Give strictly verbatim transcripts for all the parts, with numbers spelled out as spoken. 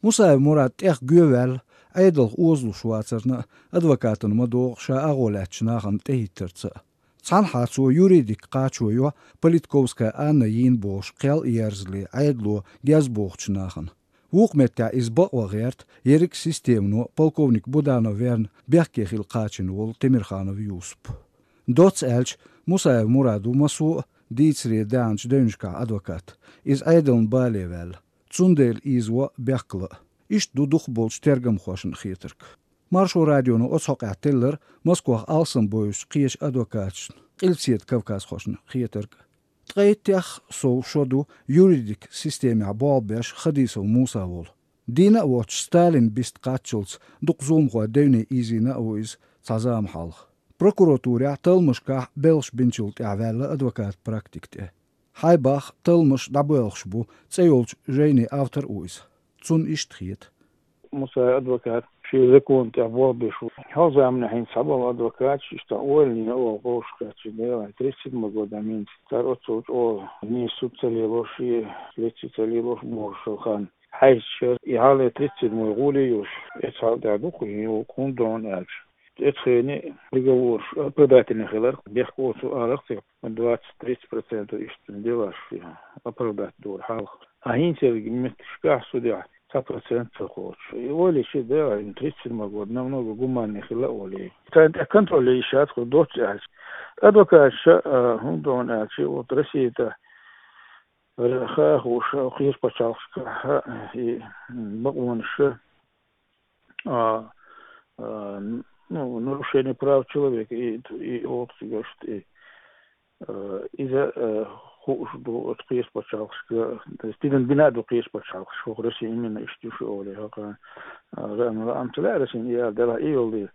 Мусаев Мурад тӀех гоьваьлла, Ӏедалх озалуш вацарна а, адвокатана ма догӀу ша агӀо лаьттачу нахана тӀехӀиттарца а. Цхьанхьа цо юридик кхачо йо Политковская Анна йийна бохуш кхел а ерзале Ӏедало гезбохучу нахана. Вукху меттехь иза бакъван гӀерта ерриг системано полковник Буданов верна бехке хила кхачийна волу Темирханов Юсуп. Доцца аьлча, Мусаев Мурад ву массо а дийцаре даьхначу девнашкахь адвокат, иза Ӏедална бале ваьлла, цундела ийзаво бехкала а. Иштта ду дукхахболчу тергамхошна хетарг. Маршо радионо оцу хьокъехь теллира Москвахь алсамбовзучу кхечу адвокаташна, Къилбаседа кавказхошна хетарг. Ткъе иттех сов шо ду юридик системехь болх беш Хадисов Муса волу. Дийна а воцуш, Сталин бист кхаччалц дукха зуламхой девне ийзийна а ву иза цхьа зама хьалха. Прокуратурехь талламашкахь белхаш бинчул тӀаьхьа ваьлла адвокат практика тӀе. Хьайбах талламаш дӀабоьлхуш бу цӀе йолчу жайни автор а ву иза. Цунна иштта хета. Мусаев адвокат шен закон тӀехь болх беш ву. Хьо заманахь хӀинца схьаболу адвокаташ, иштта увольнение а олу, вовшахкхетча, делахь, тридцать седьмой годах мегар. Цара оццул чӀогӀа нийса суд ца лелош, и лекци ца лелош бохуш хан. Хьаьжча, и хьале тридцать седьмой гӀоле йолуш, эцхьал тӀехь ду-кх и, хӀунда аьлча. Эцу хене приговораш оправдательный хилар, бехк оцу арахь ца, двадцать-тридцать процентов иштта делаш оправдать дора хьалха. А хӀинцерг меттигашкахь судехь цхьа процент ца кхочуш. И олий ши да, тридцать седьмой год намного гуманнее хилла олий. Царна тӀехь контроль йиш яц, кху доццу аьлча. Адвокатша, а, хӀунда аьлча, вот Россия тӀа ра-, хаа хууш, кхечу пачхьалкхашкахь и, м, бакъонаш, а, а, ну, нарушение прав человека и, и олу цигахь, и, а, иза, а, хууш ду оцу кхечу пачхьалкхашка, то есть дина бина а ду кхечу пачхьалкхашка, хӀокху Россия именно иштта ю шу олий, хӀокху, а, лаам, лаам ца лаьа Россин и ала делахь и йолу.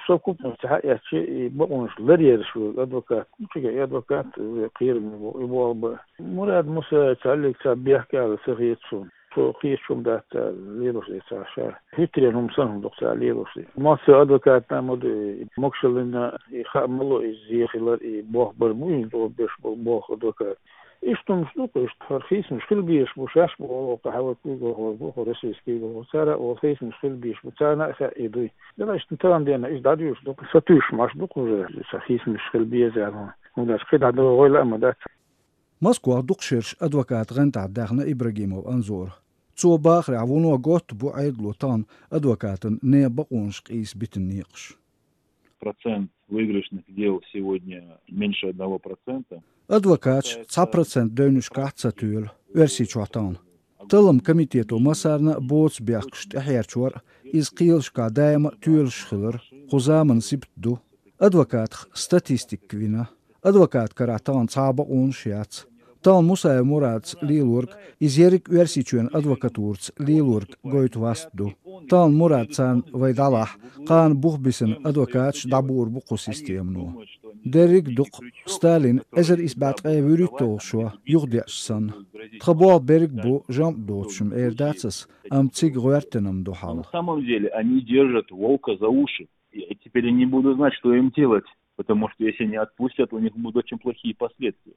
Совкупно ца хьаэцчи, и бакъонаш ларъераш верг адвокат, ну, цига и адвокат, ве кхераме бу, и болу бан. Мурад Мусаев цхьаллиг ца бехке ала ца хета суна. Цо кхечу хӀума дац ца лелош и ца ша. ХӀуьттаренна хӀума санна хӀума дукха ца лелош и. Массо а адвокатна ма ду, и могушаллина, и хаа ма ло, и зен хилар, и болх бар бу, и тӀо беш болу болх адвокат. Иштта хӀумаш ду-кх, иштта хӀара хийцамаш хила безаш бу, шаьш бу, оха хьавар куьйгалхой бу, хӀара российский куьйгалхой. Цара оха хийцамаш хила безаш бу, царна а хаьа и дуй. Дела иштта тахана дена иза дӀадуьйш ду-кх, сатуьйсуш маш ду-кх уже, сан хийцамаш хила беза аьлла. ХӀунда аьлча кхидӀа дан гӀой лаам дац. Москвахь дукха шераш адвокат гӀантахь даьхна Ибрагимов Анзора. Цо бахарехь, вуно готта бу Ӏедало тахана адвокатан нехан бакъонаш къийса битина некъаш. Процент выигрышных дел сегодня меньше одного процента. Адвокаташ цхьа процент девнашкахь ца тоьлу Оьрсийчохь тахана. Таллам комитето массарна а боцу бехкаш тӀехьерчор а, иза кхелашкахь даима а тоьлуш хилар, кху заманан сибат ду. Адвокатах статистика вина. Адвокат карахь тахана цхьа а бакъонаш яц. Тахана Мусаев Мурадца лелорг, иза ерриг Оьрсийчоьнан адвокатураца лелорг гойту васт ду. Тахана Мурад царна вай дӀалахь, кхана бух бисина адвокаташ дӀабуур бу кху системано. Дерриг а ду-кх Сталин эзар исс бӀе ткъе вуьрхӀитталгӀа шо юхадеъча санна. Тхан болх берриг бу жамӀ доцуш-м эр дац ас, амма цига гӀоьртина-м ду хьал. На самом деле они держат волка за уши. Я теперь не буду знать, что им делать, потому что если не отпустят, у них будут очень плохие последствия.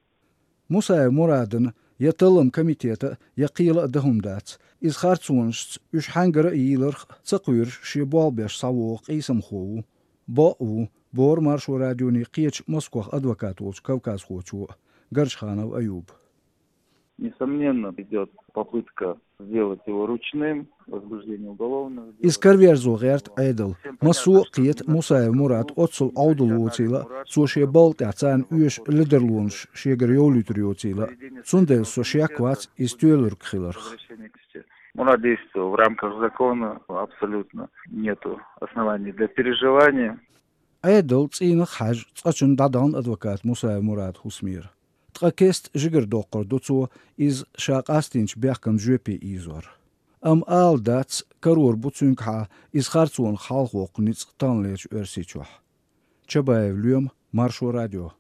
Мусаев Мурадана я таллам комитета, я кхела а дан хӀума дац. Иза харцонашца уьш хьаьнгара а йийларх а ца кхоьруш, шен болх беш схьавогӀу къийсамхо ву. Бакъ а ву, боху Маршо радионе кхечу Москвахь адвокат волчу кавказхочо а, Гаржханов Аюба. Несомненно, идёт попытка сделать его ручным, возбуждение уголовных дел. Иза караверзо гӀерта Ӏедал. Массо а кхета Мусаев Мурад оццул Ӏовдал воцийла а, цо шен балха тӀехь царна оьшу ледарлонаш шегара йовлуьйтур йоцийла а. Цундела со шек вац иза тоьлург хиларх. Мы надеемся, что в рамках закона абсолютно нету оснований для переживания. Ӏедал цӀийнах а хьаьжна, цкъачунна дӀадахана адвокат Мусаев Мурад хӀусамера. Ткъа кеста жигара доккхур ду цо иза ша къастийначу бехкан жоьпе ийзор. Амма ала дац, карор бу цуьнгахьа иза харцонах хьалхавоккху ницкъ таханлерчу Оьрсийчохь. Чабаев Лоьма, Маршо радио.